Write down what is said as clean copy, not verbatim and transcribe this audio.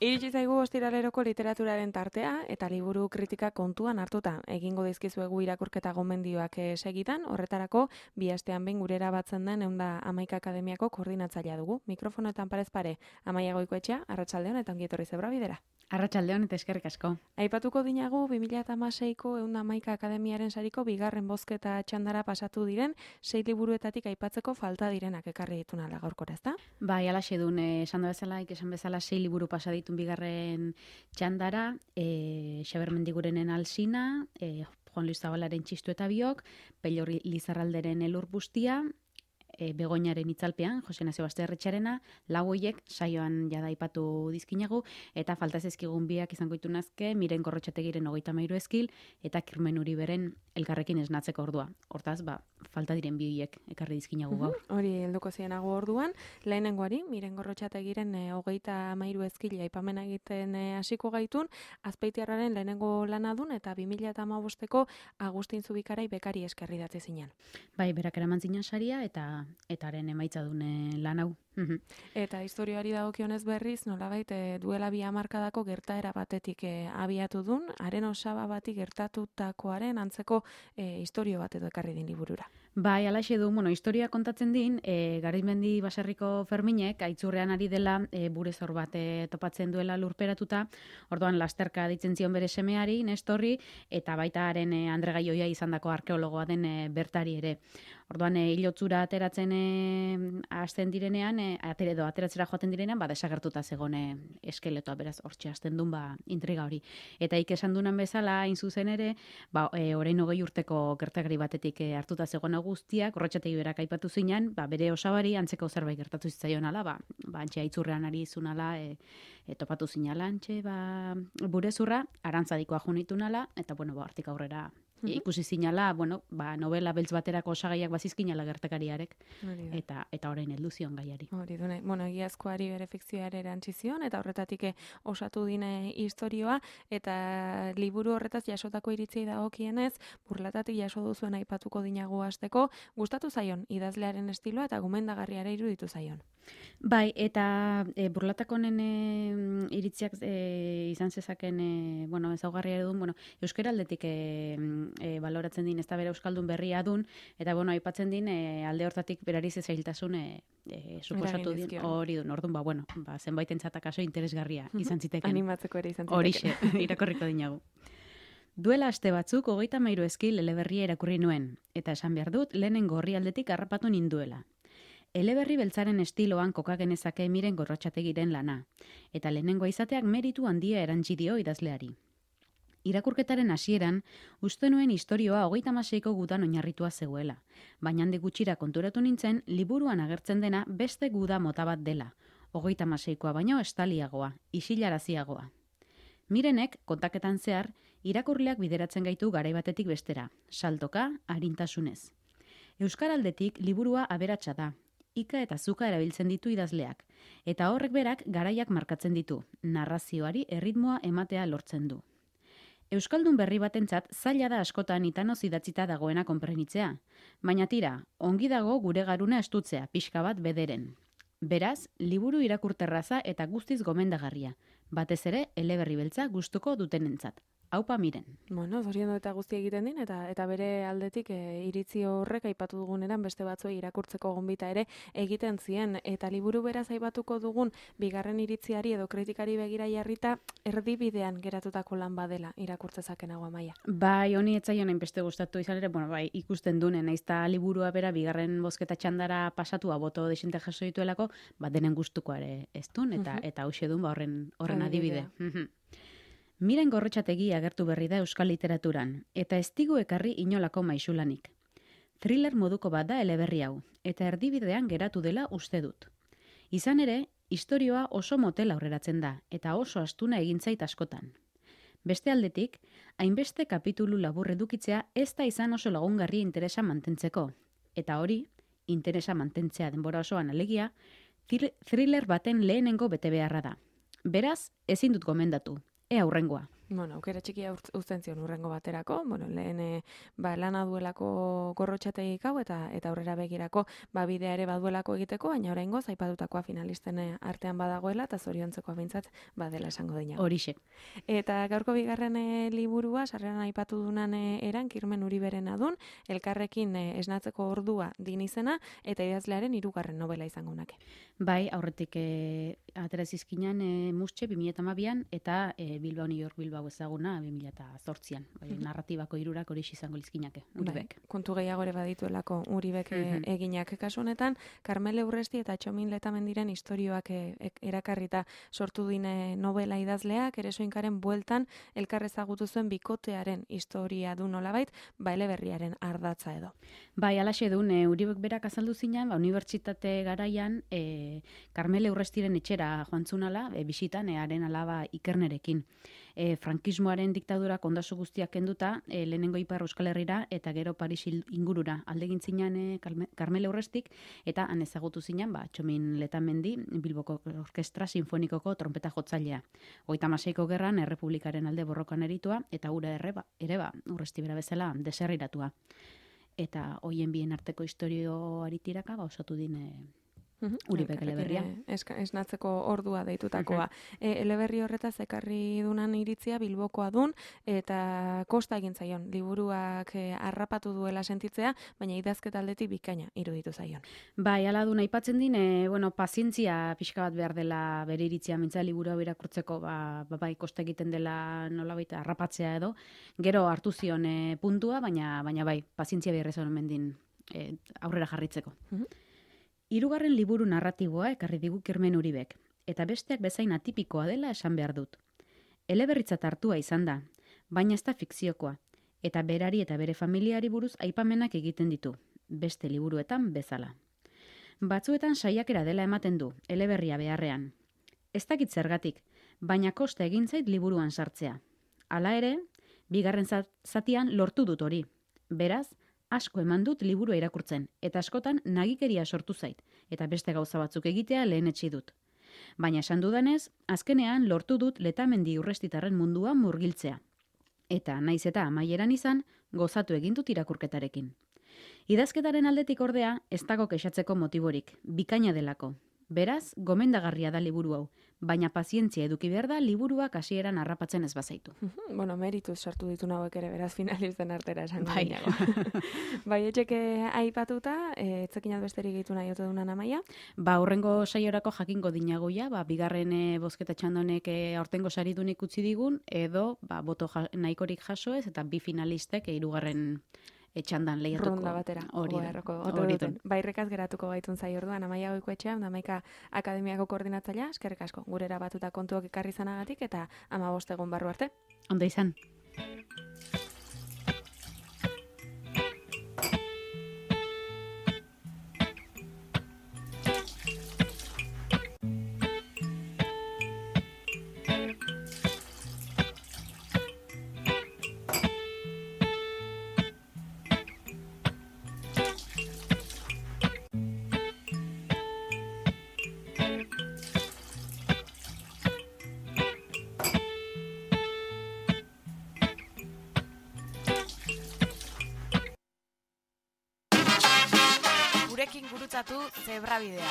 Iritsi zaigu ostiraleroko literaturaren tartea eta liburu kritika kontuan hartuta. Egingo dizkizuegu irakurketa gomendioak segitan, horretarako bi astean behin gurera batzen den 111 Akademiako koordinatzailea dugu. Mikrofonoetan parez pare, Amaia Goikoetxea, arratsaldeon eta ongi etorri Zebra Bidera. Arratsaldeon eta eskerrik asko. Aipatuko dinagu 2016ko 111 Akademiaren sariko bigarren bozketa txandara pasatu diren 6 liburuetatik aipatzeko falta direnak ekarri dituna gaurkora, ezta? Bai, alaxe dun, esan bezala 6 liburu pasa ditun bigarren txandara, Xaber Mendigurenen Alsina, Juan Luis Zabalaren Txistu eta biok, Pello Lizarralderen Elur Bustia, Begoñaren itzalpean, Jose Nazio Basterretxarena, lau hoiek saioan jada aipatu dizkinagu, eta falta zezkigun biak izango itunazke, Miren Gorrotxategiren 33 eskil, eta Kirmen Uriberen Elkarrekin esnatzeko ordua. Hortaz, falta diren bi hoiek ekarri dizkinagu gaur. Hori helduko zienago orduan, lehenengoari, Miren Gorrotxategiren 33 eskil aipamena egiten hasiko gaitun, Azpeitiarraren lehenengo lanadun, eta 2015ko Agustin Zubikarai bekari eskerri datze zinan. Bai, berak eraman zinan saria, eta haren emaitza dune lan hau. Eta historioari dagokionez berriz, nolabait duela 2 hamarkadako gertaera batetik abiatu dun, haren osaba bati gertatutakoaren antzeko historio bat edo ekarri din liburura. Bai, alaxe du, historia kontatzen din, Garizmendi baserriko Ferminek, aitzurrean ari dela, burezor bat topatzen duela lurperatuta, orduan lasterka ditzen zion bere semeari, Nestorri, eta baita haren Andre Gaioia izandako arkeologoa den bertari ere. Orduan, hilotzura ateratzen hasten direnean, ateratzera joaten direnean, desagertuta zegone eskeletoa, beraz, hortxe hasten duen intriga hori. Eta esan dunan bezala, hain zuzen ere, orain 20 urteko gertakari batetik hartuta zegoen guztiak, Gorrotxategi berak aipatu zinan, bere osabari antzeko zerbait gertatu zitzaion ala, antxe aitzurrean ari izunala, topatu zinala, antxe, burezurra, arantzadikoa junitun ala, eta, hortik aurrera, ikusi zinala, novela beltz baterako osagaiak bazizkinala gertakariarek, eta orain heldu zion gaiari. Hori dune, egiazkoari bere fikzioa ere erantzi zion, eta horretatik osatu dine historioa, eta liburu horretaz jasotako iritzei dagokienez, Burlatatik jaso duzuen aipatuko dinagu hasteko, gustatu zaion idazlearen estiloa eta gomendagarriara iruditu zaion. Bai, eta Burlatakonen iritziak izan zezaken, ezaugarria edun, euskara aldetik baloratzen din, ez da bere euskaldun berria dun, eta aipatzen din, alde hortatik berari zezailtasun suposatu din, hori dun, orduan, zenbait entzatak aso interesgarria izan ziteken. Animatzeko ere izan ziteken. Horixe, irakorriko dinagu. Duela aste batzuk 33 eskil eleberria irakurri nuen, eta esan behar dut, lehenengo horri aldetik harrapatu ninduela. Eleberri beltzaren estiloan kokagenezake Miren Gorrotxategiren lana, eta lehenengoa izateak meritu handia erantzi dio idazleari. Irakurketaren hasieran, uste nuen istorioa 36ko gudan oinarritua zegoela, baina handik gutxira konturatu nintzen, liburuan agertzen dena beste guda mota bat dela, 36koa baino estaliagoa, isilaraziagoa. Mirenek, kontaketan zehar, irakurleak bideratzen gaitu garai batetik bestera, saltoka, arintasunez. Euskaraldetik liburua aberatsa da, ika eta zuka erabiltzen ditu idazleak, eta horrek berak garaiak markatzen ditu, narrazioari erritmoa ematea lortzen du. Euskaldun berri batentzat zaila da askotan itanoz idatzita dagoena konprenitzea, baina tira, ongi dago gure garuna estutzea, pixka bat bederen. Beraz, liburu irakurterraza eta guztiz gomendagarria, batez ere eleberri beltza gustuko dutenentzat. Aupa Miren. Zoriondu eta guzti egiten din, eta bere aldetik iritzi horrek aipatu duguneran beste batzuei irakurtzeko gonbita ere egiten zien. Eta liburu beraz aipatuko dugun bigarren iritziari edo kritikari begira jarrita erdibidean geratutako lan badela irakurtzezaken hau Amaia. Bai, honi etzaion hainbeste gustatu izan ere, ikusten dune, naizta liburua bera bigarren bozketa txandara pasatu boto desente jaso dituelako, denen gustuko ere ez dun, eta hauxe dun horren adibide. Miren Gorrotxategi agertu berri da euskal literaturan, eta ez digu ekarri inolako maisulanik. Thriller moduko bat da eleberri hau, eta erdibidean geratu dela uste dut. Izan ere, istorioa oso motel aurreratzen da, eta oso astuna egin zait askotan. Beste aldetik, hainbeste kapitulu labur edukitzea ez da izan oso lagungarri interesa mantentzeko. Eta hori, interesa mantentzea denbora osoan alegia, thriller baten lehenengo bete beharra da. Beraz, ezin dut gomendatu. Ea hurrengoa. Bueno, aukera txikia uzten zion urrengo baterako, lehen lana duelako gorrotxategik hau eta aurrera begirako bidea ere baduelako egiteko, baina oraingoz aipatutakoa finalisten artean badagoela eta zoriontzekoa behintzat badela esango dina. Horixe. Eta gaurko bigarren liburua, sarreran aipatu dunan eran, Kirmen Uriberen adun, elkarrekin esnatzeko ordua din izena, eta idazlearen 3. novela izango nake. Bai, aurretik atera zizkinan Mustxe 2012an eta Bilbao New York Bilbao ezaguna 2008an. Narratibako 3 hori izango lizkinake, Uribek. Kontu gehiago ere badituelako Uribek eginak kasu honetan, Karmele Urresti eta Txomin Letamendiren istorioak erakarrita sortu dine novela idazleak, Eresoinkaren bueltan elkar ezagutu zuen bikotearen historia du nolabait, eleberriaren ardatza edo. Bai, alaxe duen, Uribek berak azaldu zinan, unibertsitate garaian, Karmele Urrestiren etxera joan zunala, bisitan, haren alaba Ikernerekin. Frankismoaren diktadurak ondasu guztiak kenduta, lehenengo Ipar Euskal Herrira eta gero Paris ingurura aldegin zinan Karmele Urrestik, eta han ezagutu zinan, Txomin Letamendi, Bilboko Orkestra Sinfonikoko trompeta jotzailea. 36ko gerran Errepublikaren alde borrokan eritua, eta ura ere Urresti bera bezala deserriratua. Eta hoien bien arteko historio aritiraka osatu din Uribek eleberria. Esnatzeko ordua deitutakoa. Eleberri horretaz ekarri dunan iritzia Bilbokoa dun, eta kosta egin zaion. Liburuak harrapatu duela sentitzea, baina idazketa aldetik bikaina iruditu zaion. Bai, ala duna aipatzen din, pazientzia pixka bat behar dela bere iritzia mintza liburua birakurtzeko, bai, kosta egiten dela nolabait harrapatzea edo. Gero hartu zion puntua, baina bai, pazientzia behar ezan mendin aurrera jarritzeko. 3. liburu narratiboa ekarri digu Kirmen Uribek, eta besteak bezain atipikoa dela esan behar dut. Eleberritzat hartua izan da, baina ez da fikziokoa, eta berari eta bere familiari buruz aipamenak egiten ditu, beste liburuetan bezala. Batzuetan saiakera dela ematen du, eleberria beharrean. Ez dakit zergatik, baina kosta egin zait liburuan sartzea. Hala ere, bigarren zatian lortu dut hori. Beraz, asko eman dut liburua irakurtzen, eta askotan nagikeria sortu zait, eta beste gauza batzuk egitea lehenetsi dut. Baina esan dudanez, azkenean lortu dut Letamendi Urrestitarren munduan murgiltzea. Eta naiz eta amaieran izan, gozatu egin dut irakurketarekin. Idazketaren aldetik ordea, ez dago kexatzeko motiborik, bikaina delako. Beraz, gomendagarria da liburu hau, baina pazientzia eduki behar da liburuak hasieran harrapatzen ez bazaitu. Merituz sartu ditu hauek ere, beraz finalisten artera esango dinago. Bai, etxeke aipatuta, etzekinat besterik gehitu nahi ote dunan Amaia? Hurrengo saiorako jakingo dinagoia, bigarren bozketa txandonek aurtengo saridunik utzi digun, edo boto nahikorik jaso ez, eta 2 finalistek 3. Etxandan lehiatuko. Ronda batera. Hori duten. Bairrekaz geratuko gaitun zai orduan, Amaia Goikoetxea, Amaika Akademiako koordinatzailea, eskerrik asko, gurera batuta kontuak ekarri zanagatik, eta 15 egun barru arte. Ondo izan. Gurekin gurutzatu Zebrabidea.